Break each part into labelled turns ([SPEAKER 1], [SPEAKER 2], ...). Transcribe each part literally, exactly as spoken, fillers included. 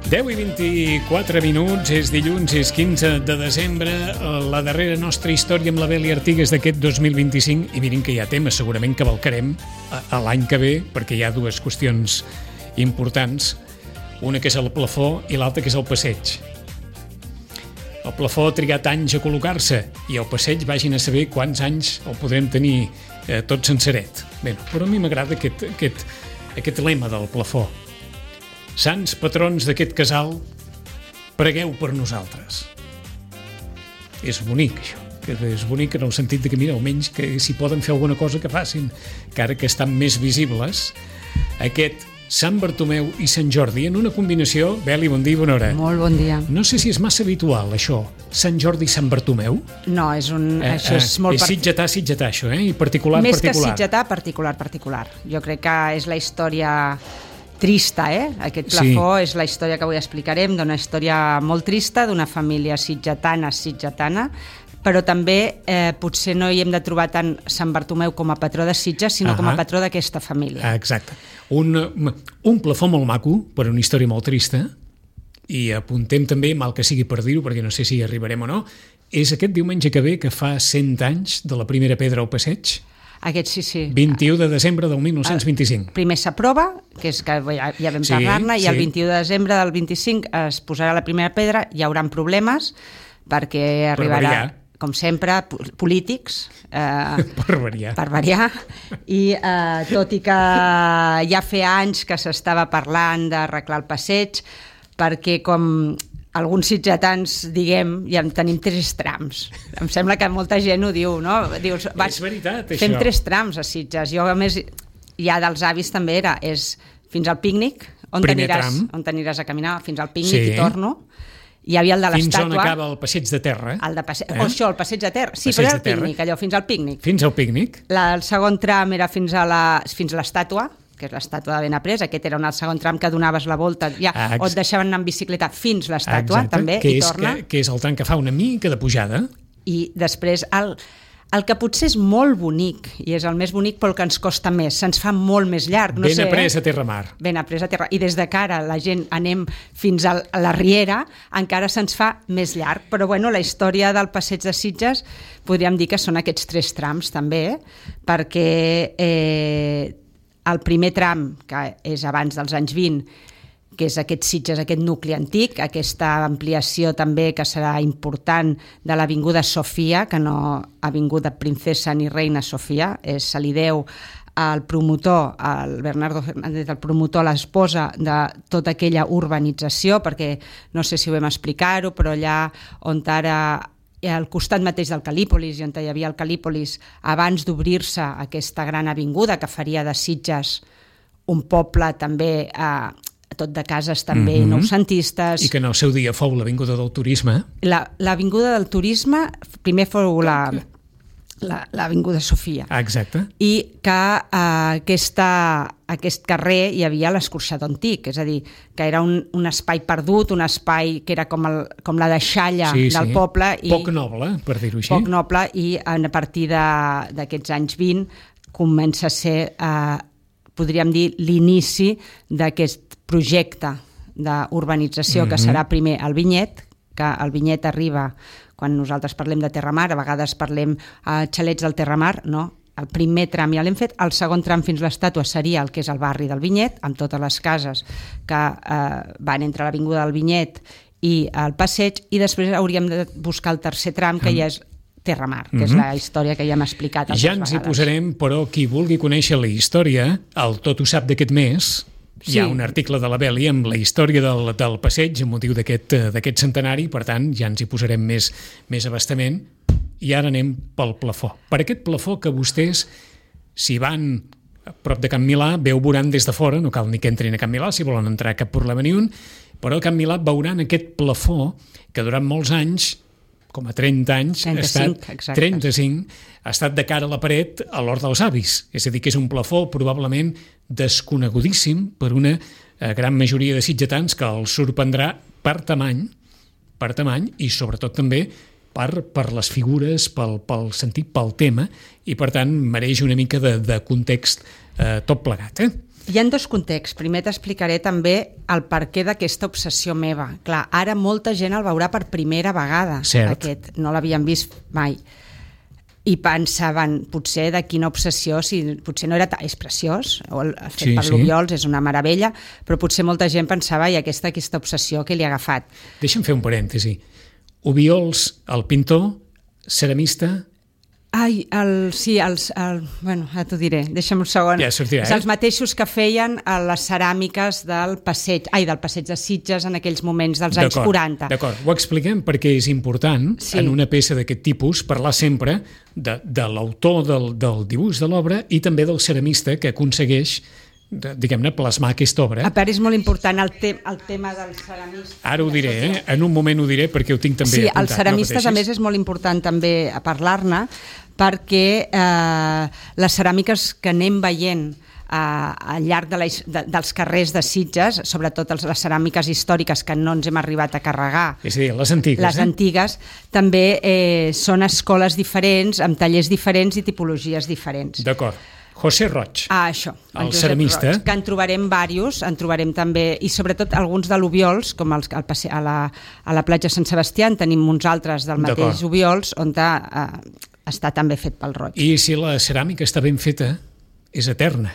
[SPEAKER 1] deu i vint-i-quatre minuts, és dilluns, és quinze de desembre, la darrera nostra història amb la Beli Artigas d'aquest dos mil vint-i-cinc, i mirin que hi ha temes, segurament que valcarem a, a l'any que ve, perquè hi ha dues qüestions importants, una que és el plafó i l'altra que és el passeig. El plafó ha trigat anys a col·locar-se i el passeig vagin a saber quants anys el podrem tenir eh, tot senceret. Bé, però a mi m'agrada aquest, aquest, aquest lema del plafó. Sants patrons d'aquest casal, pregueu per nosaltres. És bonic, això. És bonic en el sentit de que, mira, almenys que si poden fer alguna cosa que facin, encara que estan més visibles, aquest Sant Bartomeu i Sant Jordi en una combinació. Beli, bon dia i bona hora.
[SPEAKER 2] Molt bon dia.
[SPEAKER 1] No sé si és massa habitual, això, Sant Jordi i Sant Bartomeu.
[SPEAKER 2] No, és un... Eh, això és
[SPEAKER 1] eh,
[SPEAKER 2] molt...
[SPEAKER 1] És sitgetà, sitgetà, això, eh? I particular,
[SPEAKER 2] Més
[SPEAKER 1] particular.
[SPEAKER 2] Més que sitgetà, particular, particular. Jo crec que és la història trista, eh? Aquest plafó sí. És la història que avui explicarem, d'una història molt trista, d'una família sitgetana, sitgetana, però també eh, potser no hi hem de trobar tant Sant Bartomeu com a patró de Sitges, sinó uh-huh. com a patró d'aquesta família.
[SPEAKER 1] Exacte. Un, un plafó molt maco, per una història molt trista, i apuntem també, mal que sigui per dir-ho, perquè no sé si hi arribarem o no, és aquest diumenge que ve, que fa cent anys de la primera pedra al passeig.
[SPEAKER 2] Aquest sí, sí.
[SPEAKER 1] vint-i-u de desembre del mil nou-cents vint-i-cinc.
[SPEAKER 2] El primer s'aprova, que és que ja, ja vam
[SPEAKER 1] sí,
[SPEAKER 2] parlar-ne, i
[SPEAKER 1] sí.
[SPEAKER 2] el vint-i-u de desembre del vint-i-cinc es posarà la primera pedra, hi haurà problemes, perquè arribarà, com sempre, polítics, eh,
[SPEAKER 1] per variar,
[SPEAKER 2] per variar. I eh, tot i que ja feia anys que s'estava parlant d'arreglar el passeig, perquè com alguns sitgetans, diguem, ja en tenim tres trams. Em sembla que molta gent ho diu, no? Dius, vas,
[SPEAKER 1] és veritat, això.
[SPEAKER 2] Fem tres trams a Sitges. Jo, a més, ja dels avis també era, és fins al pícnic, on t'aniràs on t'aniràs a caminar, fins al pícnic sí. i torno. Hi havia el de l'estàtua.
[SPEAKER 1] Fins on acaba el passeig de terra.
[SPEAKER 2] El de passe... eh? O això, el passeig de terra. Sí,
[SPEAKER 1] passeig
[SPEAKER 2] però era el pícnic, allò, fins al pícnic.
[SPEAKER 1] Fins al pícnic.
[SPEAKER 2] La, el segon tram era fins a la, fins a l'estàtua, que és l'estàtua de Benaprés. Aquest era un segon tram que donaves la volta, ja, ah, o et deixaven anar en bicicleta fins l'estàtua, també,
[SPEAKER 1] que
[SPEAKER 2] i
[SPEAKER 1] és,
[SPEAKER 2] torna.
[SPEAKER 1] Que, que és el tram que fa una mica de pujada.
[SPEAKER 2] I després, el, el que potser és molt bonic, i és el més bonic, però el que ens costa més, se'ns fa molt més llarg. No
[SPEAKER 1] ben
[SPEAKER 2] sé,
[SPEAKER 1] après
[SPEAKER 2] eh?
[SPEAKER 1] a terra mar.
[SPEAKER 2] Ben après a terra. I des de cara la gent anem fins a la Riera, encara se'ns fa més llarg. Però bueno, la història del passeig de Sitges podríem dir que són aquests tres trams també, eh? Perquè eh, el primer tram, que és abans dels anys vint, que és aquest Sitges, aquest nucli antic, aquesta ampliació també que serà important de l'Avinguda Sofia, que no Avinguda Princesa ni Reina Sofia, és, se li deu al promotor, al Bernardo Fernández, el promotor, l'esposa de tota aquella urbanització, perquè no sé si ho vam explicar-ho, però allà on ara al costat mateix del Cal·lípolis, i on hi havia el Cal·lípolis, abans d'obrir-se aquesta gran avinguda que faria de Sitges un poble també eh, tot de cases també mm-hmm. noucentistes.
[SPEAKER 1] I que en el seu dia fou l'Avinguda del Turisme.
[SPEAKER 2] L'Avinguda del Turisme primer fou la... l'Avinguda Sofia.
[SPEAKER 1] Exacte.
[SPEAKER 2] I que eh, aquesta, aquest carrer hi havia l'escorxador antic, és a dir, que era un, un espai perdut, un espai que era com, el, com la deixalla
[SPEAKER 1] sí,
[SPEAKER 2] del
[SPEAKER 1] sí.
[SPEAKER 2] poble. I
[SPEAKER 1] poc noble, per dir-ho així.
[SPEAKER 2] Poc noble, i a partir d'aquests anys vint comença a ser, eh, podríem dir, l'inici d'aquest projecte d'urbanització mm-hmm. que serà primer el Vinyet, que el Vinyet arriba... Quan nosaltres parlem de Terramar, a vegades parlem a xalets del Terramar, no? El primer tram ja l'hem fet, el segon tram fins l'estàtua seria el que és el barri del Vinyet, amb totes les cases que eh, van entre l'avinguda del Vinyet i el passeig, i després hauríem de buscar el tercer tram, que ja és Terramar, que mm-hmm. és la història que ja hem explicat altres
[SPEAKER 1] ja ens
[SPEAKER 2] vegades.
[SPEAKER 1] Hi posarem, però qui vulgui conèixer la història, el Tot ho sap d'aquest mes... Sí. Hi ha un article de la Beli amb la història del, del passeig amb motiu d'aquest d'aquest centenari, per tant ja ens hi posarem més, més abastament. I ara anem pel plafó. Per aquest plafó que vostès, si van a prop de Can Milà, bé ho veuran des de fora, no cal ni que entrin a Can Milà si volen entrar, cap problema ni un, però a Can Milà veuran aquest plafó que durant molts anys, com a trenta anys,
[SPEAKER 2] trenta-cinc,
[SPEAKER 1] ha estat, trenta-cinc, ha estat de cara a la paret a l'Hort dels Avis. És a dir, que és un plafó probablement desconegudíssim per una eh, gran majoria de sitgetans, que els sorprendrà per tamany, per tamany i sobretot també per, per les figures, pel, pel sentit, pel tema, i per tant mereix una mica de, de context eh, tot plegat. Eh?
[SPEAKER 2] Hi ha dos contexts. Primer t'explicaré també el perquè d'aquesta obsessió meva. Clar, ara molta gent el veurà per primera vegada.
[SPEAKER 1] Cert.
[SPEAKER 2] Aquest, no l'havien vist mai. I pensaven, potser de quina obsessió, si potser no era ta... és preciós, o el fet
[SPEAKER 1] Sí,
[SPEAKER 2] per
[SPEAKER 1] sí.
[SPEAKER 2] l'Obiols és una meravella, però potser molta gent pensava i aquesta, aquesta obsessió que li ha agafat.
[SPEAKER 1] Deixa'm fer un parèntesi. Obiols, el pintor, ceramista...
[SPEAKER 2] Ai, el, sí, els, el, bueno, ja t'ho diré, deixa'm un segon.
[SPEAKER 1] Ja sortirà,
[SPEAKER 2] És
[SPEAKER 1] eh?
[SPEAKER 2] els mateixos que feien a les ceràmiques del passeig, ai, del passeig de Sitges en aquells moments dels anys
[SPEAKER 1] D'acord,
[SPEAKER 2] quaranta.
[SPEAKER 1] D'acord, ho expliquem perquè és important
[SPEAKER 2] Sí.
[SPEAKER 1] en una peça d'aquest tipus parlar sempre de, de l'autor del, del dibuix de l'obra i també del ceramista que aconsegueix, de, diguem-ne, plasmar aquesta obra.
[SPEAKER 2] A part, és molt important el, te el tema dels ceramistes.
[SPEAKER 1] Ara ho diré, eh? En un moment ho diré perquè ho tinc també
[SPEAKER 2] Sí,
[SPEAKER 1] apuntat.
[SPEAKER 2] els ceramistes,
[SPEAKER 1] no
[SPEAKER 2] a més, és molt important també a parlar-ne, perquè eh, les ceràmiques que anem veient eh, al llarg de la, de, dels carrers de Sitges, sobretot els, les ceràmiques històriques que no ens hem arribat a carregar,
[SPEAKER 1] És a dir, les antigues,
[SPEAKER 2] les
[SPEAKER 1] eh?
[SPEAKER 2] antigues, també eh, són escoles diferents, amb tallers diferents i tipologies diferents.
[SPEAKER 1] D'acord. José Roig.
[SPEAKER 2] Ah, això.
[SPEAKER 1] El
[SPEAKER 2] Josep
[SPEAKER 1] ceramista.
[SPEAKER 2] Roig, que en trobarem diversos, en trobarem també, i sobretot alguns de l'Obiols, com els, el passe, a, la, a la platja Sant Sebastià, en tenim uns altres del mateix
[SPEAKER 1] D'acord.
[SPEAKER 2] Obiols, on eh, està també fet pel Roig.
[SPEAKER 1] I si la ceràmica està ben feta, és eterna.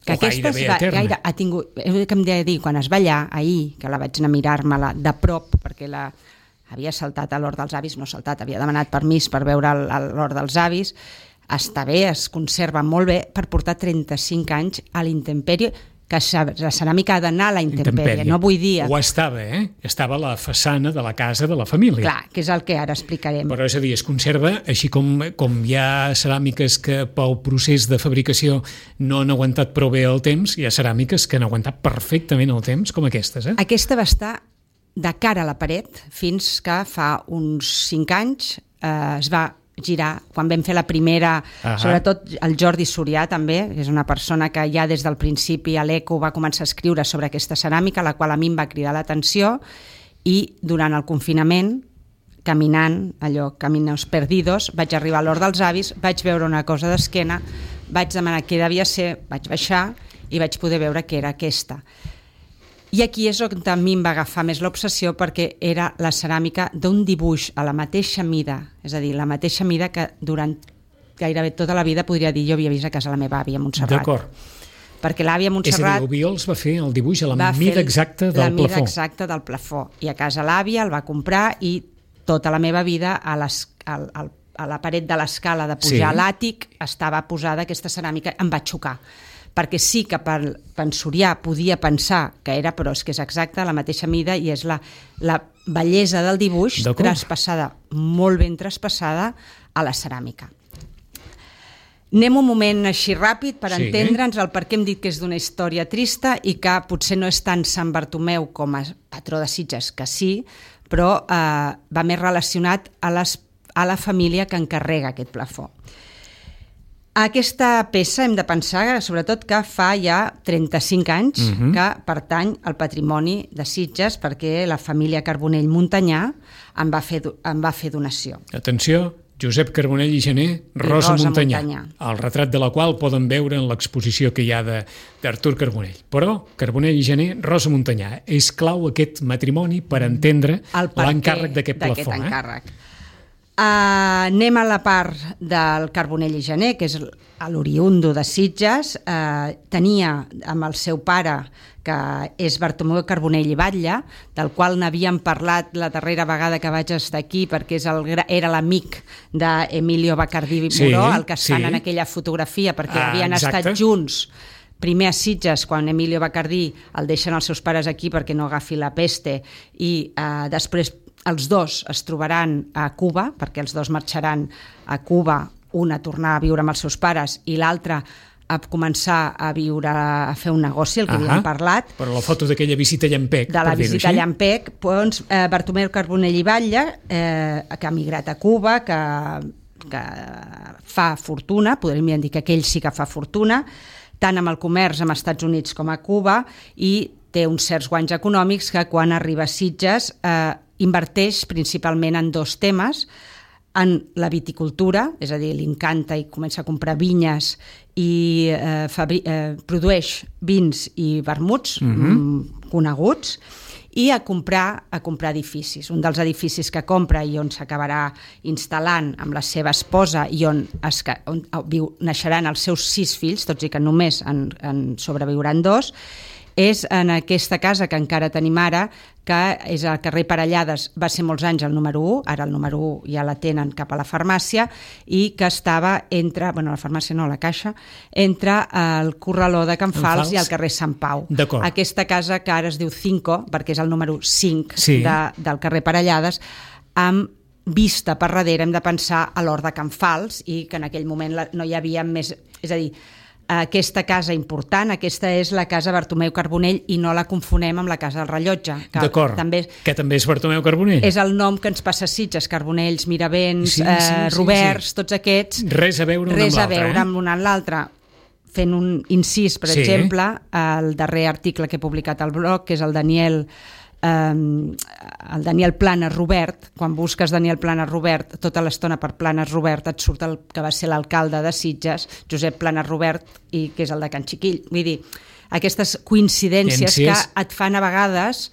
[SPEAKER 2] Que
[SPEAKER 1] o
[SPEAKER 2] aquesta
[SPEAKER 1] gairebé
[SPEAKER 2] va,
[SPEAKER 1] eterna.
[SPEAKER 2] gaire, ha tingut, eh, que em deia dir, quan es va allà, ahir, que la vaig anar a mirar-me-la de prop, perquè la havia saltat a l'hort dels avis, no saltat, havia demanat permís per veure l'hort dels avis, està bé, es conserva molt bé per portar trenta-cinc anys a l'intempèrie, que la ceràmica ha d'anar a la intempèrie, no vull dir...
[SPEAKER 1] Ho estava, eh? Estava a la façana de la casa de la família.
[SPEAKER 2] Clar, que és el que ara explicarem.
[SPEAKER 1] Però és a dir, es conserva, així com, com hi ha ceràmiques que pel procés de fabricació no han aguantat prou bé el temps, hi ha ceràmiques que han aguantat perfectament el temps, com aquestes, eh?
[SPEAKER 2] Aquesta va estar de cara a la paret fins que fa uns cinc anys eh, es va girar, quan vam fer la primera,
[SPEAKER 1] Ahà.
[SPEAKER 2] sobretot el Jordi Surià també, que és una persona que ja des del principi a l'Eco va començar a escriure sobre aquesta ceràmica, la qual a mi em va cridar l'atenció, i durant el confinament, caminant, allò, caminos perdidos, vaig arribar a l'hort dels avis, vaig veure una cosa d'esquena, vaig demanar què devia ser, vaig baixar i vaig poder veure que era aquesta. I aquí és on a mi em va agafar més l'obsessió, perquè era la ceràmica d'un dibuix a la mateixa mida, és a dir, la mateixa mida que durant gairebé tota la vida podria dir jo havia vist a casa la meva àvia a Montserrat.
[SPEAKER 1] D'acord.
[SPEAKER 2] Perquè l'àvia a
[SPEAKER 1] És a
[SPEAKER 2] Montserrat
[SPEAKER 1] dir, Obiols va fer el dibuix a la
[SPEAKER 2] va
[SPEAKER 1] mida
[SPEAKER 2] fer
[SPEAKER 1] exacta del
[SPEAKER 2] la mida
[SPEAKER 1] plafó.
[SPEAKER 2] exacta del plafó. I a casa l'àvia el va comprar i tota la meva vida a, les, al, al, a la paret de l'escala de pujar
[SPEAKER 1] Sí.
[SPEAKER 2] a l'àtic estava posada aquesta ceràmica, em va xocar. Perquè sí que per pensoriar podia pensar que era, però és que és exacta la mateixa mida i és la, la bellesa del dibuix
[SPEAKER 1] D'acord.
[SPEAKER 2] traspassada, molt ben traspassada a la ceràmica. Anem un moment així ràpid per
[SPEAKER 1] Sí.
[SPEAKER 2] entendre'ns el per què hem dit que és d'una història trista i que potser no és tant Sant Bartomeu com a patró de Sitges, que sí, però eh, va més relacionat a, les, a la família que encarrega aquest plafó. Aquesta peça hem de pensar, sobretot, que fa ja trenta-cinc anys
[SPEAKER 1] Mhm.
[SPEAKER 2] que pertany al patrimoni de Sitges, perquè la família Carbonell Montanyà en va fer, en va fer donació.
[SPEAKER 1] Atenció, Josep Carbonell i Gené, Rosa,
[SPEAKER 2] Rosa
[SPEAKER 1] Montanyà,
[SPEAKER 2] Montanyà.
[SPEAKER 1] el retrat de la qual poden veure en l'exposició que hi ha de- d'Artur Carbonell. Però Carbonell i Gené, Rosa Montanyà. És clau aquest matrimoni per entendre
[SPEAKER 2] El per què
[SPEAKER 1] l'encàrrec d'aquest
[SPEAKER 2] d'aquest
[SPEAKER 1] plafó. Eh?
[SPEAKER 2] encàrrec. Uh, anem a la part del Carbonell i Gené, que és l'oriundo de Sitges. Uh, tenia amb el seu pare, que és Bartomeu Carbonell i Batlle, del qual n'havíem parlat la darrera vegada que vaig estar aquí, perquè és el, gra- era l'amic d'Emilio Bacardí
[SPEAKER 1] Sí,
[SPEAKER 2] Moró, el que es fan
[SPEAKER 1] sí.
[SPEAKER 2] en aquella fotografia, perquè
[SPEAKER 1] Ah,
[SPEAKER 2] havien
[SPEAKER 1] exacte.
[SPEAKER 2] estat junts primer a Sitges, quan Emilio Bacardí el deixen els seus pares aquí perquè no agafi la peste, i eh, després els dos es trobaran a Cuba, perquè els dos marxaran a Cuba, un a tornar a viure amb els seus pares i l'altre a començar a viure, a fer un negoci, el que
[SPEAKER 1] Ahà.
[SPEAKER 2] havíem parlat,
[SPEAKER 1] Però la foto d'aquella visita a Llampec,
[SPEAKER 2] de la
[SPEAKER 1] per dir-ho
[SPEAKER 2] visita a
[SPEAKER 1] així.
[SPEAKER 2] Llampec, doncs, eh, Bartomeu Carbonell i Batlle, eh, que ha migrat a Cuba, que, que fa fortuna, podríem dir que aquell sí que fa fortuna, tant amb el comerç amb Estats Units com a Cuba, i té uns certs guanys econòmics que quan arriba a Sitges eh, inverteix principalment en dos temes. en la viticultura, és a dir, li encanta i comença a comprar vinyes i eh, fabri- eh, produeix vins i vermuts mm-hmm. coneguts, i a comprar, a comprar edificis. Un dels edificis que compra i on s'acabarà instal·lant amb la seva esposa i on, es, on viu, naixeran els seus sis fills, tots i que només en, en sobreviuran dos, és en aquesta casa que encara tenim ara, que és al carrer Parellades, va ser molts anys el número u, ara el número u ja la tenen cap a la farmàcia, i que estava entre, bueno, la farmàcia no, la caixa, entre el corraló de Can Fals, Fals i el carrer Sant Pau.
[SPEAKER 1] D'acord.
[SPEAKER 2] Aquesta casa que ara es diu Cinco, perquè és el número cinc
[SPEAKER 1] sí.
[SPEAKER 2] de, del carrer Parellades, amb vista per darrere, hem de pensar a l'hort de Can Fals, i que en aquell moment la, no hi havia més... És a dir, aquesta casa important, aquesta és la casa Bartomeu Carbonell i no la confonem amb la casa del Rellotge. Que
[SPEAKER 1] D'acord,
[SPEAKER 2] també
[SPEAKER 1] que també és Bartomeu Carbonell.
[SPEAKER 2] És el nom que ens passa a Sitges, Carbonells, Miravents,
[SPEAKER 1] sí, sí,
[SPEAKER 2] eh,
[SPEAKER 1] sí,
[SPEAKER 2] Roberts,
[SPEAKER 1] sí.
[SPEAKER 2] tots aquests.
[SPEAKER 1] Res a veure un
[SPEAKER 2] res
[SPEAKER 1] amb
[SPEAKER 2] a
[SPEAKER 1] l'altre.
[SPEAKER 2] veure
[SPEAKER 1] eh?
[SPEAKER 2] amb un amb l'altre. Fent un incís, per
[SPEAKER 1] sí.
[SPEAKER 2] exemple, el darrer article que he publicat al blog, que és el Daniel... Um, el Daniel Planes Robert, quan busques Daniel Planes Robert, tota l'estona per Planes Robert et surt el que va ser l'alcalde de Sitges, Josep Planes Robert, i que és el de Can Xiquill. Vull dir, aquestes coincidències que et fan a vegades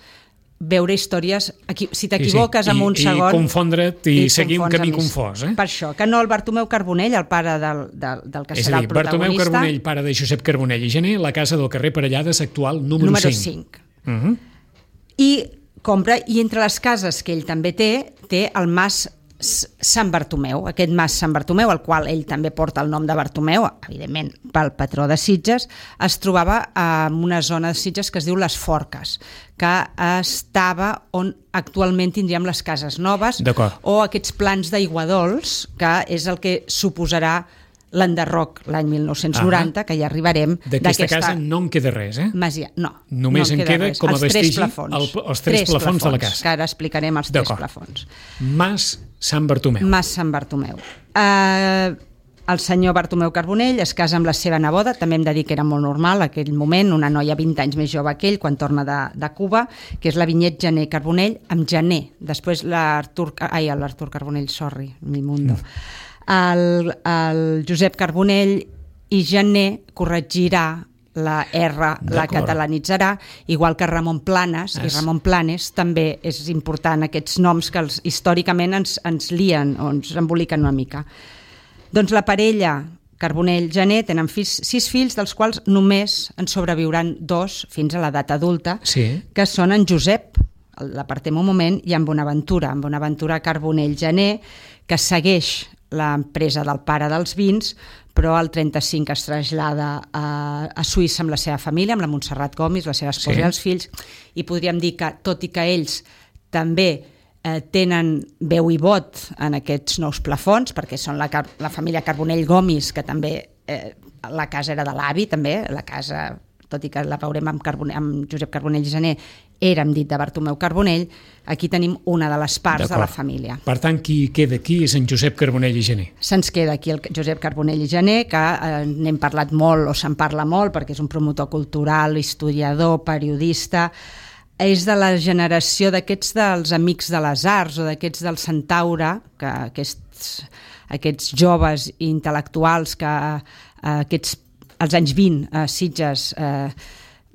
[SPEAKER 2] veure històries, si t'equivoques sí, sí.
[SPEAKER 1] I,
[SPEAKER 2] en un
[SPEAKER 1] i
[SPEAKER 2] segon...
[SPEAKER 1] I confondre't i, i seguir un camí confós. Eh?
[SPEAKER 2] Per això, que no el Bartomeu Carbonell, el pare del, del, del que
[SPEAKER 1] és
[SPEAKER 2] serà
[SPEAKER 1] dir,
[SPEAKER 2] el protagonista...
[SPEAKER 1] Bartomeu Carbonell, pare de Josep Carbonell i Gené, la casa del carrer Parellades actual, número,
[SPEAKER 2] número
[SPEAKER 1] cinc.
[SPEAKER 2] cinc.
[SPEAKER 1] Uh-huh.
[SPEAKER 2] I compra, i entre les cases que ell també té, té el Mas Sant Bartomeu, aquest Mas Sant Bartomeu, el qual ell també porta el nom de Bartomeu, evidentment pel patró de Sitges, es trobava en una zona de Sitges que es diu Les Forques, que estava on actualment tindríem les cases noves, o aquests plans d'aiguadols, que és el que suposarà l'enderroc l'any mil nou-cents noranta, ah, que ja arribarem.
[SPEAKER 1] D'aquesta casa no en queda res, eh?
[SPEAKER 2] Masia, no.
[SPEAKER 1] Només
[SPEAKER 2] no en
[SPEAKER 1] en queda,
[SPEAKER 2] res.
[SPEAKER 1] com a
[SPEAKER 2] els
[SPEAKER 1] vestigi
[SPEAKER 2] tres plafons.
[SPEAKER 1] El, els tres, tres plafons, plafons de la casa.
[SPEAKER 2] Que ara explicarem els tres plafons.
[SPEAKER 1] Mas Sant Bartomeu.
[SPEAKER 2] Mas Sant Bartomeu. Uh, el senyor Bartomeu Carbonell es casa amb la seva neboda, també hem de dir que era molt normal en aquell moment, una noia vint anys més jove que ell, quan torna de, de Cuba, que és la Vinyet Gené Carbonell, amb Gené. Després l'Artur... Ai, l'Artur Carbonell, sorry, mi mundo. Mm. El, el Josep Carbonell i Gené corregirà la R, la catalanitzarà, igual que Ramon Planes, es... i Ramon Planes també és important, aquests noms que els, històricament ens, ens lien o ens emboliquen una mica. Doncs la parella Carbonell-Gené tenen fills, sis fills, dels quals només en sobreviuran dos fins a l'edat adulta,
[SPEAKER 1] sí.
[SPEAKER 2] que són en Josep, l'apartem un moment, i en Bonaventura, en Bonaventura Carbonell-Gené, que segueix l'empresa del pare dels vins, però al trenta-cinc es trasllada a, a Suïssa amb la seva família, amb la Montserrat Gomis, la seva esposa sí. i els fills, i podríem dir que, tot i que ells també eh, tenen veu i vot en aquests nous plafons, perquè són la, la família Carbonell Gomis, que també eh, la casa era de l'avi, també, la casa, tot i que la veurem amb, Carbonell, amb Josep Carbonell i Gené, era, hem dit, de Bartomeu Carbonell, aquí tenim una de les parts de la família.
[SPEAKER 1] Per tant, qui queda aquí és en Josep Carbonell i Gené.
[SPEAKER 2] Se'ns queda aquí el Josep Carbonell i Gené, que eh, n'hem parlat molt, o se'n parla molt, perquè és un promotor cultural, historiador, periodista, és de la generació d'aquests dels Amics de les Arts, o d'aquests del Centaure, que aquests, aquests joves intel·lectuals que eh, aquests, als anys vint a Sitges eh,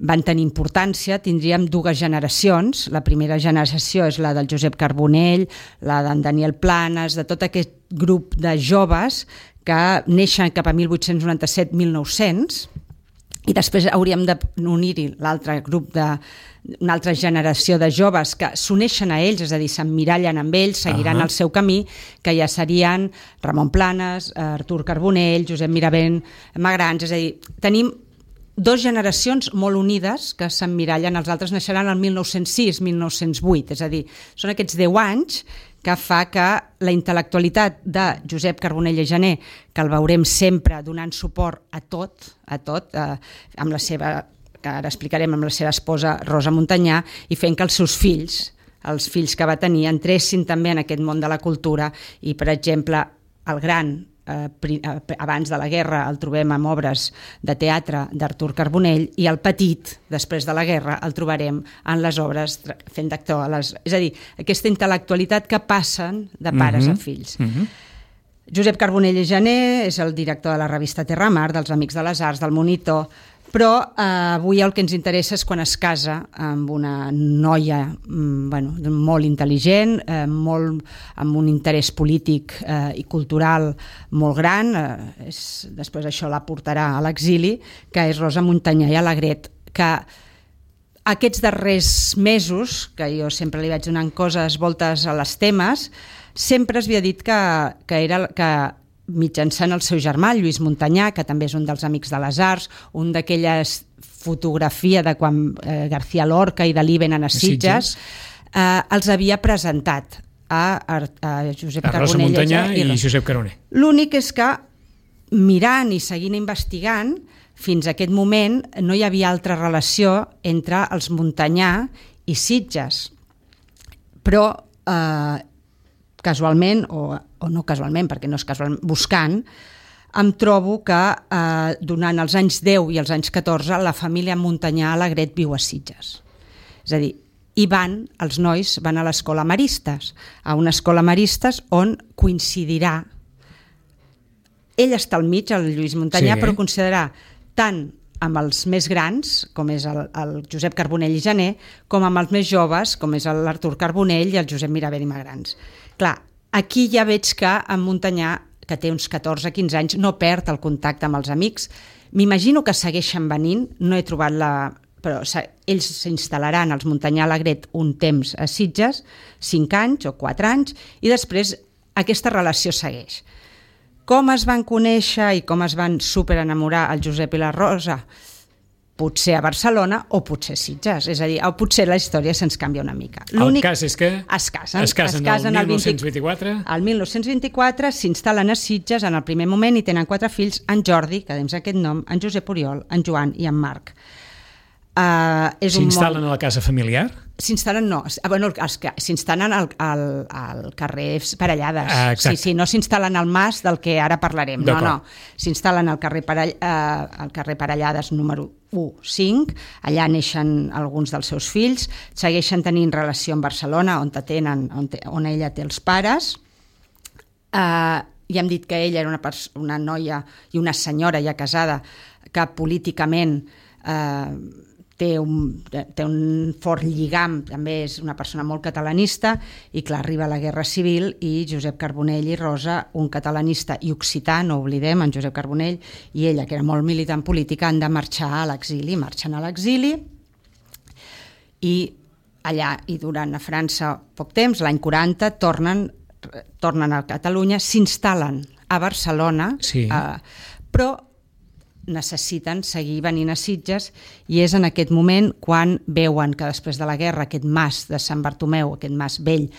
[SPEAKER 2] van tenir importància. Tindríem dues generacions. La primera generació és la del Josep Carbonell, la d'en Daniel Planes, de tot aquest grup de joves que neixen cap a mil vuit-cents noranta-set a mil nou-cents, i després hauríem d'unir-hi l'altre grup de una altra generació de joves que s'uneixen a ells, és a dir, s'emmirallen amb ells, seguiran uh-huh. el seu camí, que ja serien Ramon Planes, Artur Carbonell, Josep Miravent, Magrans, és a dir, tenim dos generacions molt unides que s'emmirallen, els altres naixeran el mil nou-cents sis a mil nou-cents vuit, és a dir, són aquests deu anys que fa que la intel·lectualitat de Josep Carbonell i Gené, que el veurem sempre donant suport a tot, a tot, eh, amb la seva, que ara explicarem, amb la seva esposa Rosa Montanyà, i fent que els seus fills, els fills que va tenir, entressin també en aquest món de la cultura, i, per exemple, el gran eh, pri, eh, abans de la guerra el trobem amb obres de teatre d'Artur Carbonell, i el petit, després de la guerra, el trobarem en les obres fent d'actor. Les... És a dir, aquesta intel·lectualitat que passen de pares mm-hmm. a fills. Mm-hmm. Josep Carbonell i Jané és el director de la revista Terra Mar, dels Amics de les Arts, del Monitor, però eh, avui el que ens interessa és quan es casa amb una noia mm, bueno, molt intel·ligent, eh, molt, amb un interès polític eh, i cultural molt gran, eh, és, després això la portarà a l'exili, que és Rosa Montanyà i Alegret, que aquests darrers mesos, que jo sempre li vaig donant coses, voltes a les temes, sempre es havia dit que, que era... que mitjançant el seu germà, Lluís Montanyà, que també és un dels Amics de les Arts, un d'aquelles fotografia de quan eh, García Lorca i Dalí venen a Sitges, eh, els havia presentat a, a, a Josep
[SPEAKER 1] a
[SPEAKER 2] Carbonell.
[SPEAKER 1] Rosa Montanyà i, i Josep Carbonell.
[SPEAKER 2] L'únic és que, mirant i seguint investigant, fins a aquest moment no hi havia altra relació entre els Montanyà i Sitges. Però eh, casualment, o, o no casualment, perquè no és casualment, buscant, em trobo que eh, durant els anys deu i els anys catorze la família Montanyà Alegret viu a Sitges. És a dir, i van, els nois van a l'escola Maristes, a una escola Maristes on coincidirà, ell està al mig, el Lluís Montanyà, sí. però considerarà tant amb els més grans, com és el, el Josep Carbonell i Jané, com amb els més joves, com és l'Artur Carbonell i el Josep Miravent i Magrans. Clar, aquí ja veig que en Montanyà, que té uns catorze a quinze anys, no perd el contacte amb els amics. M'imagino que segueixen venint, no he trobat la... però ells s'instal·laran, els Montanyà Alegret, un temps a Sitges, cinc anys o quatre anys, i després aquesta relació segueix. Com es van conèixer i com es van superenamorar el Josep i la Rosa? Potser a Barcelona o potser a Sitges. És a dir, o potser la història se'ns canvia una mica.
[SPEAKER 1] El cas és que
[SPEAKER 2] es casen,
[SPEAKER 1] es casen, es casen el mil nou-cents vint-i-quatre.
[SPEAKER 2] El mil nou-cents vint-i-quatre s'instal·len a Sitges en el primer moment i tenen quatre fills, en Jordi, que dins aquest nom, en Josep Oriol, en Joan i en Marc. Uh,
[SPEAKER 1] S'instal·len món... a la casa familiar?
[SPEAKER 2] S'instal·len, no, bueno, els que s'instal·len al, al, al carrer Parellades.
[SPEAKER 1] Ah,
[SPEAKER 2] sí, sí, no s'instal·len al Mas del que ara parlarem. No, no. S'instal·len al carrer, Parell, uh, al carrer Parellades número u cinc, allà neixen alguns dels seus fills, segueixen tenint relació amb Barcelona, on, tenen, on, te, on ella té els pares. Uh, ja hem dit que ella era una, una noia i una senyora ja casada que políticament eh, té un, té un fort lligam, també és una persona molt catalanista, i clar, arriba la Guerra Civil i Josep Carbonell i Rosa, un catalanista i occità, no oblidem, en Josep Carbonell, i ella, que era molt militant política, han de marxar a l'exili, marxen a l'exili, i allà hi duran a França poc temps, l'any quaranta, tornen, tornen a Catalunya, s'instal·len a Barcelona,
[SPEAKER 1] sí.
[SPEAKER 2] eh, però necessiten seguir venint a Sitges, i és en aquest moment quan veuen que després de la guerra aquest mas de Sant Bartomeu, aquest mas vell,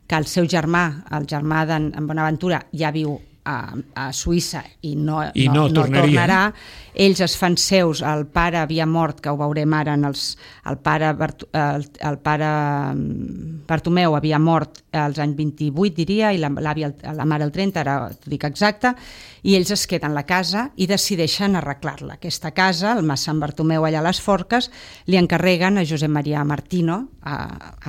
[SPEAKER 2] que el seu germà, el germà d'en Bonaventura, ja viu a, a Suïssa i no,
[SPEAKER 1] I no,
[SPEAKER 2] no, no tornarà. Ells es fan seus, el pare havia mort, que ho veurem ara, en els, el, pare Bart, el, el pare Bartomeu havia mort als anys vint-i-vuit, diria, i la, la mare el trenta, ara t'ho dic exacte, i ells es queden a la casa i decideixen arreglar-la. Aquesta casa, el mas Sant Bartomeu allà a les Forques, li encarreguen a Josep Maria Martino, a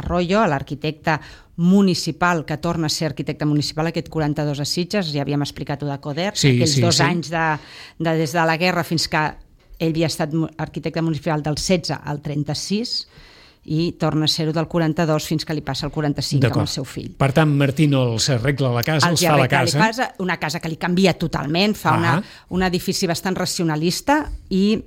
[SPEAKER 2] Arroyo, a l'arquitecte municipal, que torna a ser arquitecte municipal aquest quaranta-dos a Sitges, ja havíem explicat-ho de Coder,
[SPEAKER 1] sí,
[SPEAKER 2] aquells
[SPEAKER 1] sí,
[SPEAKER 2] dos
[SPEAKER 1] sí.
[SPEAKER 2] anys de, de, des de la guerra fins que ell havia estat arquitecte municipal del setze al trenta-sis, i torna a ser-ho del quaranta-dos fins que li passa el quaranta-cinc amb el seu fill.
[SPEAKER 1] Per tant, Martino els arregla la casa, els, els fa la casa.
[SPEAKER 2] casa. Una casa que li canvia totalment, fa ah. una, un edifici bastant racionalista, i,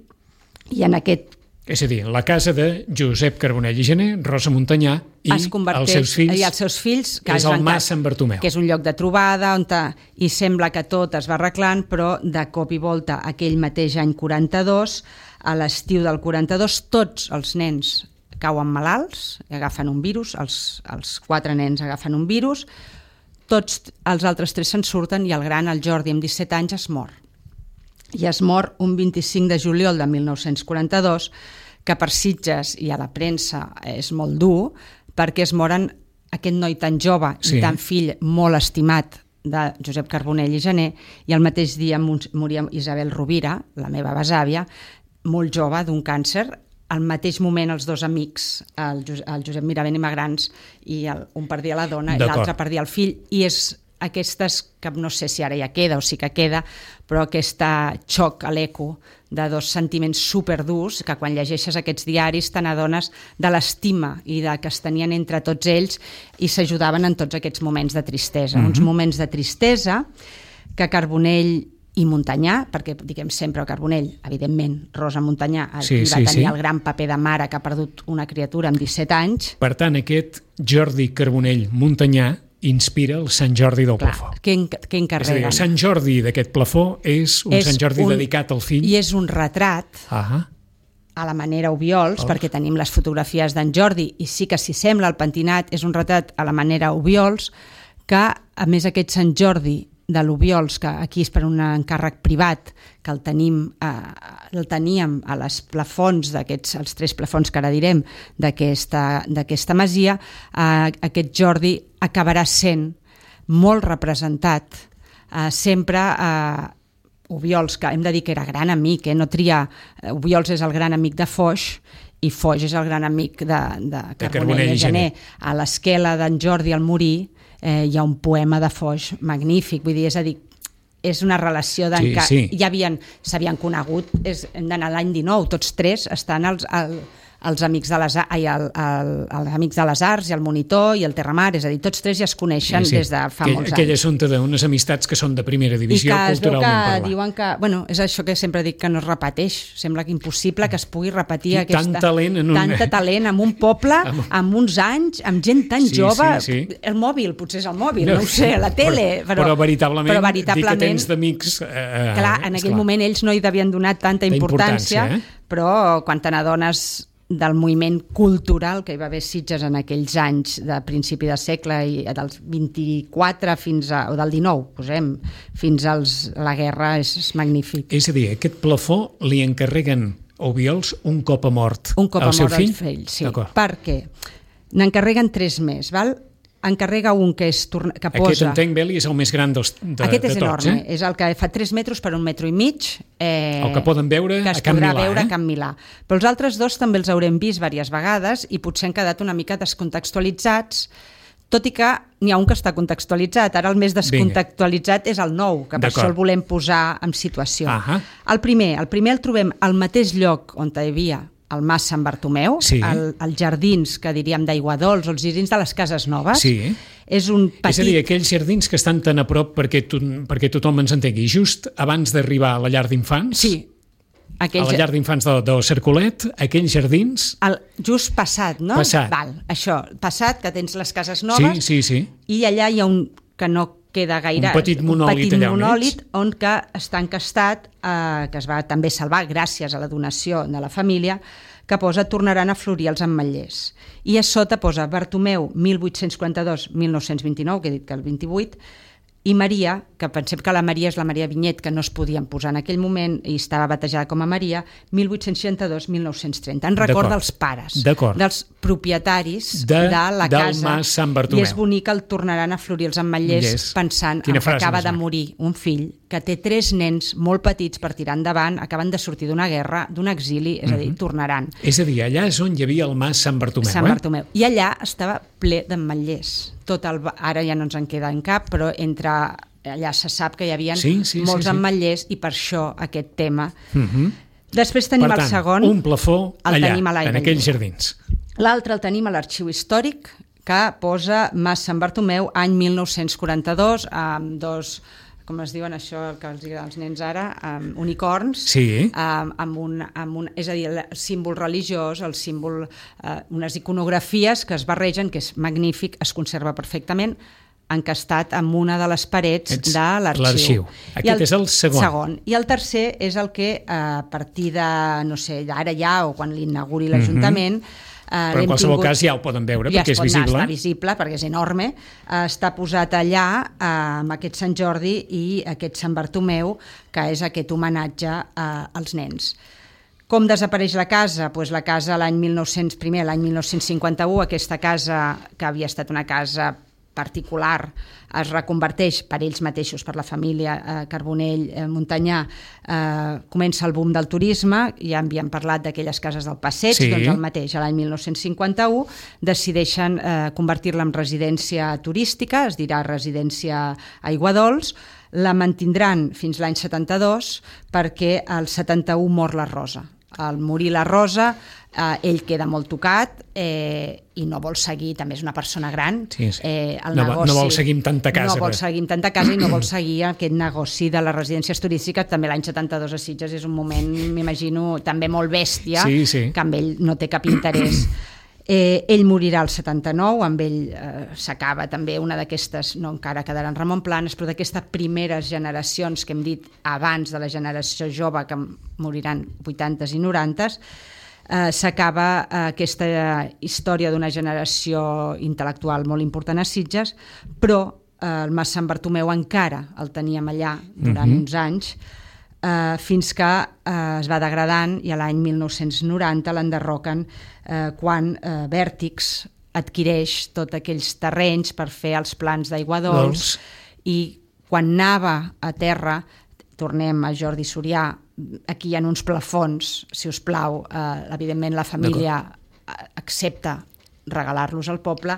[SPEAKER 2] i en aquest...
[SPEAKER 1] És a dir, la casa de Josep Carbonell i Jané, Rosa Montanyà i els seus fills,
[SPEAKER 2] i els seus fills
[SPEAKER 1] que és el mas Sant Bartomeu.
[SPEAKER 2] Que és un lloc de trobada, on ta, i sembla que tot es va arreglant, però de cop i volta aquell mateix any quaranta-dos, a l'estiu del quaranta-dos, tots els nens cauen malalts, agafen un virus, els, els quatre nens agafen un virus, tots els altres tres se'n surten, i el gran, el Jordi, amb disset anys, es mor. I es mor un vint-i-cinc de juliol de mil nou-cents quaranta-dos, que per Sitges i a la premsa és molt dur, perquè es moren aquest noi tan jove sí. i tan fill molt estimat de Josep Carbonell i Gené, i el mateix dia moria Isabel Rovira, la meva besàvia, molt jove, d'un càncer. Al mateix moment els dos amics, el, el Josep Miravent i Magrans, i el, un perdia la dona i l'altre perdia el fill, i és aquestes, que no sé si ara ja queda o sí que queda, però aquest xoc a l'eco de dos sentiments superdurs que quan llegeixes aquests diaris te n'adones de l'estima i de que es tenien entre tots ells i s'ajudaven en tots aquests moments de tristesa. Mm-hmm. Uns moments de tristesa que Carbonell i Montanyà, perquè diguem sempre el Carbonell, evidentment, Rosa Montanyà sí, va sí, tenir sí. el gran paper de mare que ha perdut una criatura amb disset anys.
[SPEAKER 1] Per tant, aquest Jordi Carbonell Montanyà inspira el Sant Jordi del
[SPEAKER 2] Clar,
[SPEAKER 1] plafó.
[SPEAKER 2] Què, què encarreguen?
[SPEAKER 1] És a dir, el Sant Jordi d'aquest plafó és un és Sant Jordi un, dedicat al fill.
[SPEAKER 2] I és un retrat uh-huh. a la manera Obiols, oh. perquè tenim les fotografies d'en Jordi, i sí que s'hi sembla el pentinat, és un retrat a la manera Obiols, que a més aquest Sant Jordi de l'Obiols, que aquí és per un encàrrec privat, que el tenim, eh, el teníem a les plafons d'aquests, els tres plafons que ara direm, d'aquesta, d'aquesta masia, eh, aquest Jordi acabarà sent molt representat, eh, sempre eh, Obiols, que hem de dir que era gran amic, eh, no triar, Obiols és el gran amic de Foix, i Foix és el gran amic de, de Carbonell i Gené. A l'esquela d'en Jordi al morir, Eh, hi ha un poema de Foix magnífic, vull dir, és a dir, és una relació d'en sí, sí. ja havien, s'havien conegut, és, hem d'anar a l'any dinou, tots tres estan als, al, els amics de les, ai, el, el, els amics de les arts i el monitor i el Terramar, és a dir, tots tres ja es coneixen sí, sí. des de fa
[SPEAKER 1] aquell,
[SPEAKER 2] molts
[SPEAKER 1] aquell
[SPEAKER 2] anys.
[SPEAKER 1] Aquell assumpte d'unes amistats que són de primera divisió culturalment parlant. I que es veu que diuen que,
[SPEAKER 2] bueno, és això que sempre dic que no es repeteix, sembla que impossible que es pugui repetir aquesta,
[SPEAKER 1] tant talent en un...
[SPEAKER 2] tanta talent en un poble, amb uns anys, amb gent tan sí, jove, sí, sí. el mòbil, potser és el mòbil, no, no ho sé, la tele,
[SPEAKER 1] però, però, però, veritablement,
[SPEAKER 2] però veritablement
[SPEAKER 1] dir que tens d'amics... Eh,
[SPEAKER 2] clar, en aquell clar. moment ells no hi devien donar tanta importància, importància eh? però quan te n'adones del moviment cultural que hi va haver Sitges en aquells anys de principi de segle i dels vint-i-quatre fins a, o del dinou, posem, fins als, a la guerra, és, és magnífic.
[SPEAKER 1] És a dir, aquest plafó li encarreguen a Obiols un cop a mort
[SPEAKER 2] un cop
[SPEAKER 1] al
[SPEAKER 2] a
[SPEAKER 1] seu
[SPEAKER 2] mort
[SPEAKER 1] fill?
[SPEAKER 2] Al fill, sí, perquè n'encarreguen tres més, val? Encarrega un que és que posa...
[SPEAKER 1] Aquest entenc, Beli, és el més gran dels, de,
[SPEAKER 2] Aquest és
[SPEAKER 1] de tots,
[SPEAKER 2] enorme,
[SPEAKER 1] eh?
[SPEAKER 2] és el que fa tres metres per un metro i mig. Eh,
[SPEAKER 1] el que poden veure
[SPEAKER 2] que
[SPEAKER 1] a Can Milà.
[SPEAKER 2] veure
[SPEAKER 1] eh?
[SPEAKER 2] a Can Milà. Però els altres dos també els haurem vist diverses vegades i potser han quedat una mica descontextualitzats, tot i que n'hi ha un que està contextualitzat. Ara el més descontextualitzat Vinga. és el nou, que per això el volem posar en situació. Uh-huh. El primer, el primer el trobem al mateix lloc on hi havia el Mas Sant Bartomeu, sí. el, els jardins que diríem d'Aiguadols, o els jardins de les Cases Noves.
[SPEAKER 1] Sí.
[SPEAKER 2] És un petit...
[SPEAKER 1] És a dir, aquells jardins que estan tan a prop perquè, tu, perquè tothom ens entengui, just abans d'arribar a la llar d'infants,
[SPEAKER 2] sí. aquells...
[SPEAKER 1] a la llar d'infants del, del Cercolet, aquells jardins...
[SPEAKER 2] El, just passat, no?
[SPEAKER 1] Passat.
[SPEAKER 2] Val, això, passat, que tens les Cases Noves,
[SPEAKER 1] sí, sí, sí.
[SPEAKER 2] i allà hi ha un que no queda gaire...
[SPEAKER 1] Un petit monòlit,
[SPEAKER 2] un petit
[SPEAKER 1] allà
[SPEAKER 2] monòlit on, on que està encastat, eh, que es va també salvar gràcies a la donació de la família, que posa tornaran a florir els ametllers. I a sota posa Bartomeu mil vuit-cents quaranta-dos a mil nou-cents vint-i-nou, que he dit que el vint-i-vuit, i Maria, que pensem que la Maria és la Maria Vinyet, que no es podien posar en aquell moment i estava batejada com a Maria, mil vuit-cents seixanta-dos a mil nou-cents trenta, en record dels pares, dels propietaris de, de la
[SPEAKER 1] del
[SPEAKER 2] casa.
[SPEAKER 1] Mas Sant Bartomeu.
[SPEAKER 2] I és bonic el tornaran a florir els ametllers yes. pensant en que acaba de morir un fill, que té tres nens molt petits per tirar endavant, acaben de sortir d'una guerra, d'un exili, és a dir, mm-hmm. tornaran.
[SPEAKER 1] És a dir, allà és on hi havia el Mas Sant Bartomeu.
[SPEAKER 2] Sant
[SPEAKER 1] eh?
[SPEAKER 2] Bartomeu. I allà estava ple d'ametllers. Tot el, ara ja no ens en queda en cap, però entre allà se sap que hi havia
[SPEAKER 1] sí, sí,
[SPEAKER 2] molts
[SPEAKER 1] sí, sí.
[SPEAKER 2] ametllers i per això aquest tema.
[SPEAKER 1] Mm-hmm.
[SPEAKER 2] Després tenim
[SPEAKER 1] per tant,
[SPEAKER 2] el segon.
[SPEAKER 1] un plafó
[SPEAKER 2] el
[SPEAKER 1] allà,
[SPEAKER 2] tenim a
[SPEAKER 1] en aquells jardins.
[SPEAKER 2] L'altre el tenim a l'Arxiu Històric, que posa Mas Sant Bartomeu, any mil nou-cents quaranta-dos, amb dos... com es diuen això que els diuen els nens ara, um, unicorns,
[SPEAKER 1] sí.
[SPEAKER 2] um, amb un, amb un, és a dir, el símbol religiós, el símbol, uh, unes iconografies que es barregen, que és magnífic, es conserva perfectament, encastat en una de les parets Ets de l'arxiu.
[SPEAKER 1] Aquest el, és el segon.
[SPEAKER 2] segon. I el tercer és el que, uh, a partir de, no sé, ara ja, o quan l'inauguri l'Ajuntament, mm-hmm. Uh,
[SPEAKER 1] però en qualsevol tingut, cas ja ho poden veure
[SPEAKER 2] ja
[SPEAKER 1] perquè és visible.
[SPEAKER 2] Ja està visible perquè és enorme. Uh, està posat allà uh, amb aquest Sant Jordi i aquest Sant Bartomeu, que és aquest homenatge uh, als nens. Com desapareix la casa? Pues la casa l'any mil nou-cents, primer l'any mil nou-cents cinquanta-u, aquesta casa que havia estat una casa particular es reconverteix per ells mateixos, per la família eh, Carbonell eh, Montanyà, eh, comença el boom del turisme, ja havíem parlat d'aquelles cases del Passeig,
[SPEAKER 1] sí.
[SPEAKER 2] Doncs el mateix, a l'any mil nou-cents cinquanta-u decideixen eh, convertir-la en residència turística, es dirà residència Aiguadols, la mantindran fins l'any setanta-dos perquè al setanta-u mor la Rosa. Al morir la Rosa, eh, ell queda molt tocat eh, i no vol seguir, també és una persona gran,
[SPEAKER 1] sí, sí.
[SPEAKER 2] Eh, el
[SPEAKER 1] no,
[SPEAKER 2] negoci,
[SPEAKER 1] no vol seguir amb tanta casa.
[SPEAKER 2] No vol seguir amb tanta casa i no vol seguir aquest negoci de les residències turístiques. També l'any setanta-dos a Sitges és un moment, m'imagino, també molt bèstia,
[SPEAKER 1] sí, sí.
[SPEAKER 2] que amb ell no té cap interès. Eh, ell morirà al setanta-nou, amb ell eh, s'acaba també una d'aquestes, no encara quedarà en Ramon Planes, però d'aquestes primeres generacions que hem dit abans de la generació jove, que moriran vuitantes i norantes, eh, s'acaba eh, aquesta història d'una generació intel·lectual molt important a Sitges, però eh, el Mas Sant Bartomeu encara el teníem allà durant uh-huh. uns anys, Uh, fins que uh, es va degradant i a l'any mil nou-cents noranta l'enderroquen uh, quan uh, Vèrtix adquireix tots aquells terrenys per fer els plans d'aigua dolç i quan anava a terra, tornem a Jordi Surià, aquí hi ha uns plafons, si us plau, uh, evidentment la família accepta regalar-los al poble,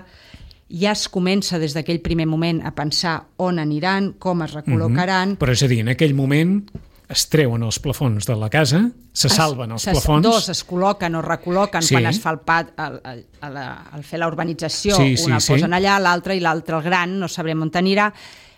[SPEAKER 2] ja es comença des d'aquell primer moment a pensar on aniran, com es recol·locaran.
[SPEAKER 1] Uh-huh. Però és a dir, en aquell moment es treuen els plafons de la casa, se salven els
[SPEAKER 2] es,
[SPEAKER 1] plafons...
[SPEAKER 2] Dos es col·loquen o recol·loquen sí. quan es fa el pat, el, el, el, el fer la urbanització, sí, sí, un el sí. posen allà, l'altre i l'altre el gran, no sabrem on anirà,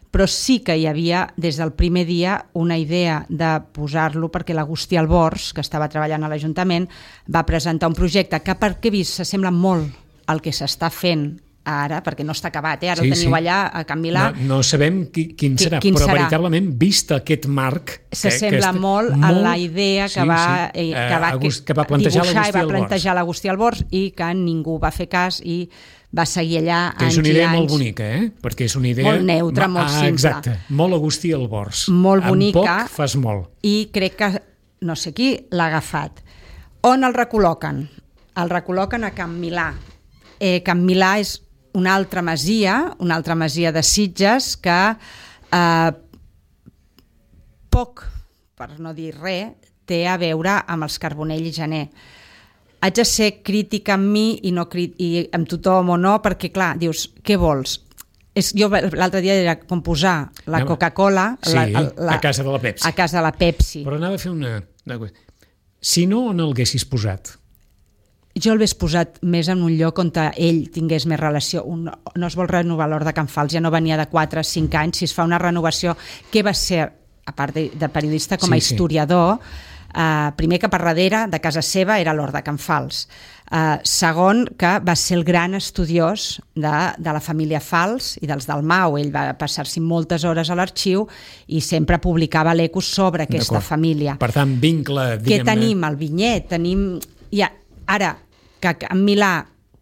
[SPEAKER 2] però sí que hi havia des del primer dia una idea de posar-lo perquè l'Agustí Albors, que estava treballant a l'Ajuntament, va presentar un projecte que perquè he vist s'assembla molt al que s'està fent ara, perquè no està acabat, eh? Ara sí, ho teniu sí. allà a Can Milà.
[SPEAKER 1] No, no sabem qui, quin serà,
[SPEAKER 2] quin
[SPEAKER 1] però
[SPEAKER 2] serà?
[SPEAKER 1] veritablement, vist aquest marc...
[SPEAKER 2] S'assembla
[SPEAKER 1] que, que
[SPEAKER 2] molt, molt a la idea que, sí, va, sí. Eh, que, va,
[SPEAKER 1] Agust, que va plantejar
[SPEAKER 2] dibuixar i va
[SPEAKER 1] Albors.
[SPEAKER 2] plantejar l'Agustí Albors i que ningú va fer cas i va seguir allà anys i anys.
[SPEAKER 1] És una idea molt bonica, eh? Perquè és una idea...
[SPEAKER 2] Molt neutra,
[SPEAKER 1] Ma,
[SPEAKER 2] molt
[SPEAKER 1] ah,
[SPEAKER 2] simple.
[SPEAKER 1] Exacte, molt Agustí Albors.
[SPEAKER 2] Molt bonica.
[SPEAKER 1] Amb poc fas molt.
[SPEAKER 2] I crec que, no sé qui, l'ha agafat. On el recol·loquen? El recol·loquen a Can Milà. Eh, Can Milà és una altra masia, una altra masia de Sitges que eh, poc, per no dir res, té a veure amb els Carbonell i Janer. Haig de ser crítica amb mi i, no, i amb tothom o no, perquè clar, dius, què vols? És, jo l'altre dia era com posar la Coca-Cola
[SPEAKER 1] sí,
[SPEAKER 2] la, la,
[SPEAKER 1] a casa de la Pepsi.
[SPEAKER 2] A casa de la Pepsi.
[SPEAKER 1] Però anava a fer una... Si no, on el haguessis posat?
[SPEAKER 2] Jo l'hagués posat més en un lloc on ell tingués més relació. Un, no es vol renovar l'Hort de Can Fals, ja no venia de quatre a cinc anys, si es fa una renovació, què va ser, a part de, de periodista, com a sí, historiador, sí. Uh, primer que per darrere de casa seva era l'Hort de Can Fals. Uh, segon, que va ser el gran estudiós de, de la família Fals i dels Dalmau. Ell va passar-s'hi moltes hores a l'arxiu i sempre publicava l'Ecos sobre aquesta família.
[SPEAKER 1] Per tant, vincle, diguem-ne...
[SPEAKER 2] Què tenim? El vinyet, tenim... Ja, ara, que Can Milà,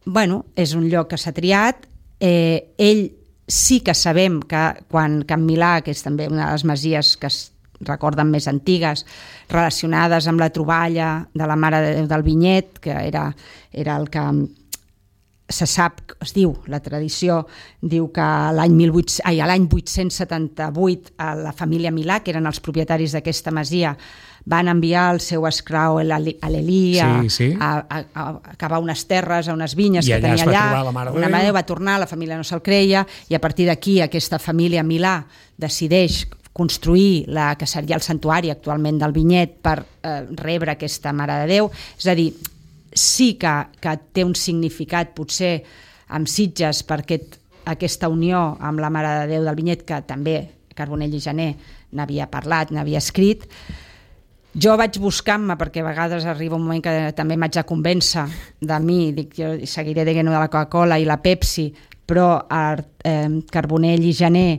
[SPEAKER 2] bueno, és un lloc que s'ha triat, eh, ell sí que sabem que quan Can Milà, que és també una de les masies que es recorden més antigues, relacionades amb la troballa de la Mare de Déu del Vinyet, que era, era el que se sap, es diu, la tradició, diu que l'any vuit-cents setanta-vuit a la família Milà, que eren els propietaris d'aquesta masia, van enviar el seu esclau a l'Elí a,
[SPEAKER 1] sí, sí.
[SPEAKER 2] a, a, a acabar unes terres, a unes vinyes
[SPEAKER 1] I
[SPEAKER 2] que tenia allà.
[SPEAKER 1] La Mare
[SPEAKER 2] una mare va tornar, la família no se'l creia, i a partir d'aquí aquesta família Milà decideix construir la que seria el santuari actualment del Vinyet per eh, rebre aquesta Mare de Déu. És a dir, sí que, que té un significat potser amb Sitges per aquest, aquesta unió amb la Mare de Déu del Vinyet, que també Carbonell i Janer n'havia parlat, n'havia escrit. Jo vaig buscant-me, perquè a vegades arriba un moment que també m'haig de convèncer de mi, dic, jo seguiré dient de la Coca-Cola i la Pepsi, però eh, Carbonell i Janer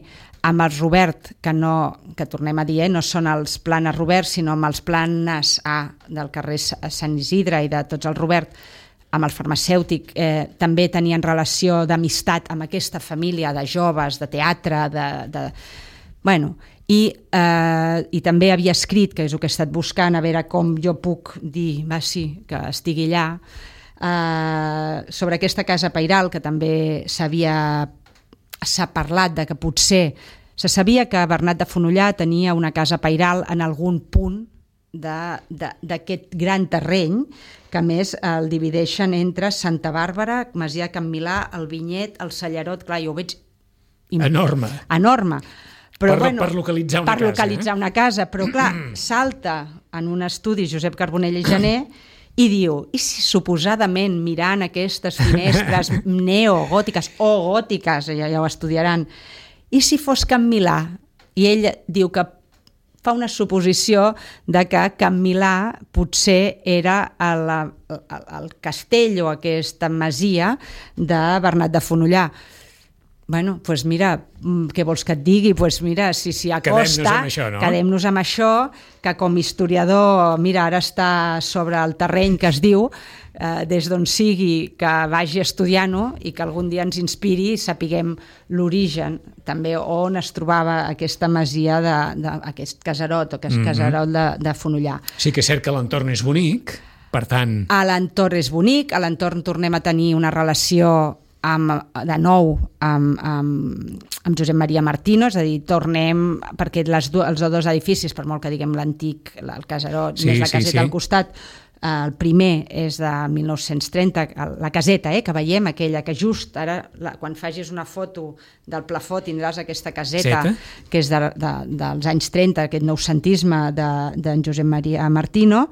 [SPEAKER 2] amb els Robert, que, no, que tornem a dir, eh, no són els planes Robert, sinó amb els planes A del carrer Sant Isidre i de tots els Robert, amb el farmacèutic, eh, també tenien relació d'amistat amb aquesta família de joves, de teatre, de... de bueno, i, eh, i també havia escrit, que és el que he estat buscant, a veure com jo puc dir, va, sí, que estigui allà, eh, sobre aquesta casa pairal, que també s'havia s'ha parlat de que potser se sabia que Bernat de Fonollar tenia una casa pairal en algun punt d'aquest gran terreny, que a més el divideixen entre Santa Bàrbara, Masia Can Milà, el Vinyet, el Sallarot, clar, jo ho veig
[SPEAKER 1] enorme.
[SPEAKER 2] Enorme. Però,
[SPEAKER 1] per,
[SPEAKER 2] bueno,
[SPEAKER 1] per localitzar una
[SPEAKER 2] per
[SPEAKER 1] casa.
[SPEAKER 2] localitzar
[SPEAKER 1] eh?
[SPEAKER 2] una casa, però clar, salta en un estudi Josep Carbonell i Jané i diu, i si suposadament mirant aquestes finestres neogòtiques o gòtiques, ja, ja ho estudiaran, i si fos Can Milà? I ell diu que fa una suposició de que Can Milà potser era el, el, el castell o aquesta masia de Bernat de Fonollar. Bueno, doncs pues mira, què vols que et digui? Doncs pues mira, si s'hi acosta,
[SPEAKER 1] quedem-nos amb això, no?
[SPEAKER 2] quedem-nos amb això, que com historiador, mira, ara està sobre el terreny que es diu, eh, des d'on sigui, que vagi estudiant-ho i que algun dia ens inspiri i sapiguem l'origen, també on es trobava aquesta masia, de, de, aquest casarot, o aquest mm-hmm. casarot de, de Fonollar.
[SPEAKER 1] Sí que és cert que l'entorn és bonic, per tant...
[SPEAKER 2] A l'entorn és bonic, a l'entorn tornem a tenir una relació amb, de nou amb, amb, amb Josep Maria Martino, és a dir, tornem, perquè les do, els dos edificis, per molt que diguem l'antic, el casarot, sí, més la caseta sí, sí. al costat, el primer és de mil nou-cents trenta, la caseta eh, que veiem, aquella que just ara, la, quan facis una foto del plafó tindràs aquesta caseta Zeta. que és de, de, dels anys trenta, aquest noucentisme d'en de, Josep Maria Martino,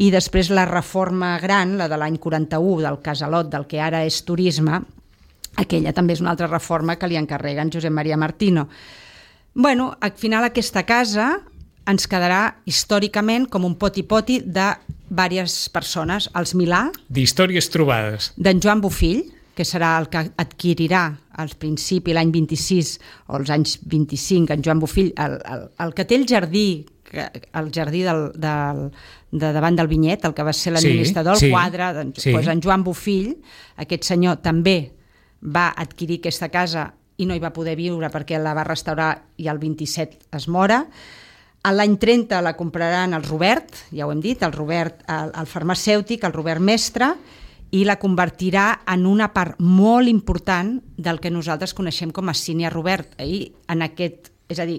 [SPEAKER 2] i després la reforma gran, la de l'any quaranta-u, del casalot, del que ara és turisme, aquella també és una altra reforma que li encarreguen Josep Maria Martino. Bueno, al final aquesta casa ens quedarà històricament com un poti-poti de diverses persones. Els Milà...
[SPEAKER 1] D'històries trobades.
[SPEAKER 2] D'en Joan Bofill, que serà el que adquirirà al principi, l'any vint-i-sis o els anys vint-i-cinc, en Joan Bofill, el, el, el que té el jardí, el jardí del, del, de davant del Vinyet, el que va ser l'administrador, sí, el quadre, doncs, sí. doncs en Joan Bofill, aquest senyor també va adquirir aquesta casa i no hi va poder viure perquè la va restaurar i el vint-i-set es mora. A l'any trenta la compraran el Robert, ja ho hem dit, el Robert, el, el farmacèutic, el Robert Mestre, i la convertirà en una part molt important del que nosaltres coneixem com a Cine Robert. I en aquest, és a dir,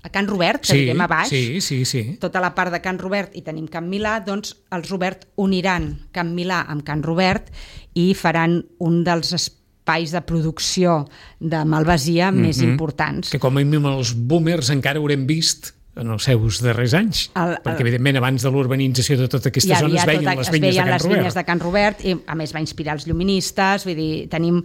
[SPEAKER 2] a Can Robert, que sí, diguem a baix,
[SPEAKER 1] sí, sí, sí.
[SPEAKER 2] tota la part de Can Robert i tenim Can Milà, doncs els Robert uniran Can Milà amb Can Robert i faran un dels espais de producció de malvasia mm-hmm. més importants.
[SPEAKER 1] Que com a mínim els boomers encara haurem vist en els seus darrers anys, el, el, perquè evidentment abans de l'urbanització de tota aquesta zona es veien tota, les vinyes de Can
[SPEAKER 2] les
[SPEAKER 1] Robert.
[SPEAKER 2] vinyes de Can Robert i a més va inspirar els lluministes, vull dir, tenim...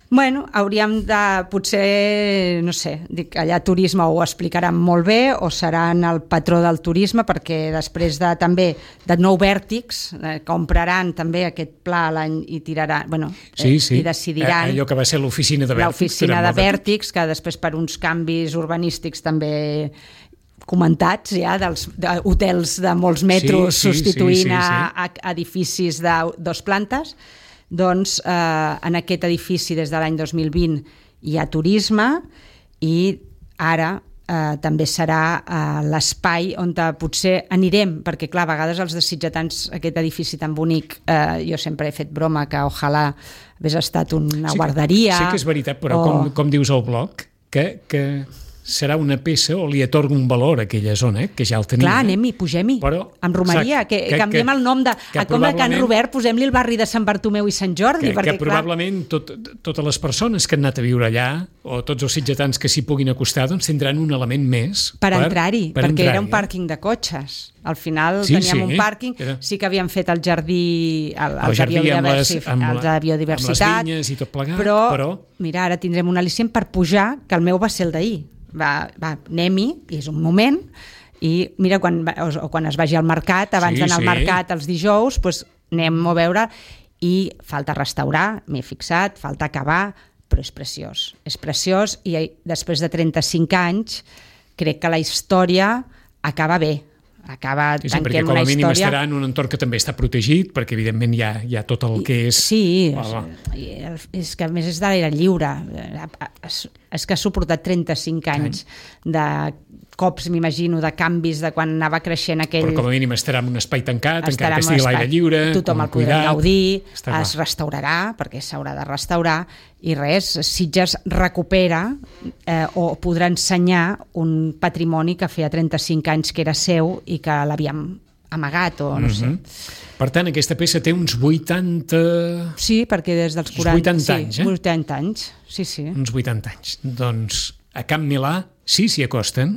[SPEAKER 2] Bueno, hauríem de, potser, no sé, dic, allà turisme ho explicaran molt bé o seran el patró del turisme perquè després de també de nou vèrtics eh, compraran també aquest pla l'any i tiraran, bueno,
[SPEAKER 1] sí, sí.
[SPEAKER 2] eh, i decidiran...
[SPEAKER 1] Allò que va ser l'oficina de vèrtics.
[SPEAKER 2] L'oficina de vèrtics, que després per uns canvis urbanístics també comentats ja, dels hotels de molts metres sí, sí, substituint sí, sí, sí. A, a edificis de dos plantes. Doncs eh, en aquest edifici des de l'any dos mil vint hi ha turisme i ara eh, també serà eh, l'espai on potser anirem, perquè clar, a vegades els desitjatants, aquest edifici tan bonic, eh, jo sempre he fet broma que ojalà hagués estat una sí, guarderia.
[SPEAKER 1] Sí que és veritat, però
[SPEAKER 2] o...
[SPEAKER 1] com, com dius al blog, que... que... serà una peça o li atorga un valor a aquella zona, eh? Que ja el tenia.
[SPEAKER 2] Clar, anem-hi, pugem-hi, amb romeria, que, que canviem que, el nom de... A com a Can Robert, posem-li el barri de Sant Bartomeu i Sant Jordi.
[SPEAKER 1] Que,
[SPEAKER 2] perquè,
[SPEAKER 1] que probablement tot, totes les persones que han anat a viure allà, o tots els sitgetans que s'hi puguin acostar, doncs tindran un element més.
[SPEAKER 2] Per, per entrar-hi, per perquè entrar era un
[SPEAKER 1] eh?
[SPEAKER 2] pàrquing de cotxes. Al final
[SPEAKER 1] sí,
[SPEAKER 2] teníem
[SPEAKER 1] sí,
[SPEAKER 2] un pàrquing,
[SPEAKER 1] era...
[SPEAKER 2] sí que havíem fet el jardí, el, el,
[SPEAKER 1] el jardí
[SPEAKER 2] de
[SPEAKER 1] amb les, amb,
[SPEAKER 2] el de biodiversitat,
[SPEAKER 1] amb les vinyes i tot plegat,
[SPEAKER 2] però,
[SPEAKER 1] però...
[SPEAKER 2] mira, ara tindrem un al·licient per pujar, que el meu va ser el d'ahir. Va, va, anem-hi, i és un moment, i mira, quan, o, o quan es vagi al mercat, abans sí, d'anar sí. al mercat els dijous, doncs anem a veure, i falta restaurar, m'he fixat, falta acabar, però és preciós, és preciós, i després de trenta-cinc anys crec que la història acaba bé, acaba
[SPEAKER 1] sí, sí,
[SPEAKER 2] tanquem una història...
[SPEAKER 1] Perquè com a mínim estarà en un entorn que també està protegit, perquè evidentment hi ha, hi ha tot el que és...
[SPEAKER 2] Sí, oh, és, és que a més és de l'aire lliure, és, és que ha suportat trenta-cinc anys de cops, m'imagino, de canvis de quan anava creixent aquell...
[SPEAKER 1] Però com a mínim estarà en un espai tancat,
[SPEAKER 2] estarà
[SPEAKER 1] encara que estigui a l'aire lliure,
[SPEAKER 2] tothom el podrà
[SPEAKER 1] cuidat,
[SPEAKER 2] gaudir,
[SPEAKER 1] està
[SPEAKER 2] es
[SPEAKER 1] clar.
[SPEAKER 2] restaurarà, perquè s'haurà de restaurar, i res, Sitges recupera eh, o podrà ensenyar un patrimoni que feia trenta-cinc anys que era seu i que l'havíem amagat, o no
[SPEAKER 1] Mm-hmm.
[SPEAKER 2] sé.
[SPEAKER 1] Per tant, aquesta peça té uns vuitanta...
[SPEAKER 2] Sí, perquè des dels quaranta...
[SPEAKER 1] vuitanta
[SPEAKER 2] sí,
[SPEAKER 1] anys, eh?
[SPEAKER 2] vuitanta anys, sí, sí.
[SPEAKER 1] Uns vuitanta anys. Doncs a Camp Milà sí s'hi acosten,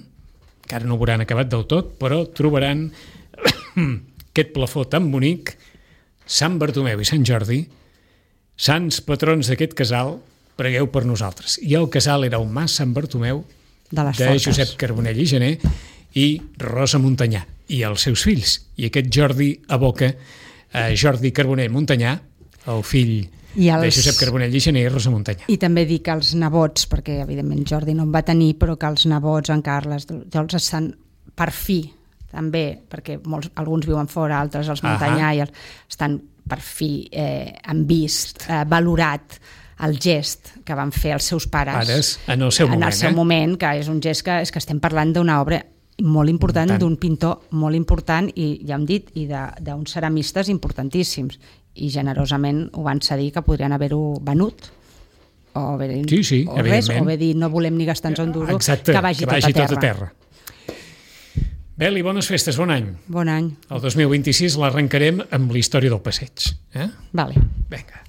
[SPEAKER 1] encara no ho hauran acabat del tot, però trobaran aquest plafó tan bonic, Sant Bartomeu i Sant Jordi, sants patrons d'aquest casal, pregueu per nosaltres. I el casal era un mas Sant Bartomeu
[SPEAKER 2] De les
[SPEAKER 1] de
[SPEAKER 2] Forques.
[SPEAKER 1] Josep Carbonell i Gener i Rosa Montanyà i els seus fills. I aquest Jordi aboca a Jordi Carbonell Montanyà, el fill
[SPEAKER 2] I els...
[SPEAKER 1] de Josep Carbonell i Gener i Rosa Montanyà.
[SPEAKER 2] I també dic que els nebots, perquè evidentment Jordi no en va tenir, però que els nebots, en Carles, els estan per fi, també, perquè molts, alguns viuen fora, altres els Montanyà, i els, estan per fi eh, han vist, eh, valorat el gest que van fer els seus pares,
[SPEAKER 1] Pares, en el seu
[SPEAKER 2] en
[SPEAKER 1] moment,
[SPEAKER 2] el seu
[SPEAKER 1] eh?
[SPEAKER 2] moment, que és un gest que, és que estem parlant d'una obra molt important, d'un pintor molt important, i ja hem dit, i d'uns ceramistes importantíssims, i generosament ho van cedir, que podrien haver-ho venut, o haver,
[SPEAKER 1] sí, sí,
[SPEAKER 2] o res, o haver dit no volem ni gastar-nos un duro,
[SPEAKER 1] exacte,
[SPEAKER 2] que vagi,
[SPEAKER 1] que vagi
[SPEAKER 2] tot, a
[SPEAKER 1] tot a terra. Beli, bones festes, bon any.
[SPEAKER 2] Bon any.
[SPEAKER 1] El dos mil vint-i-sis l'arrencarem amb la història del passeig. Eh?
[SPEAKER 2] Vale.
[SPEAKER 1] Vinga.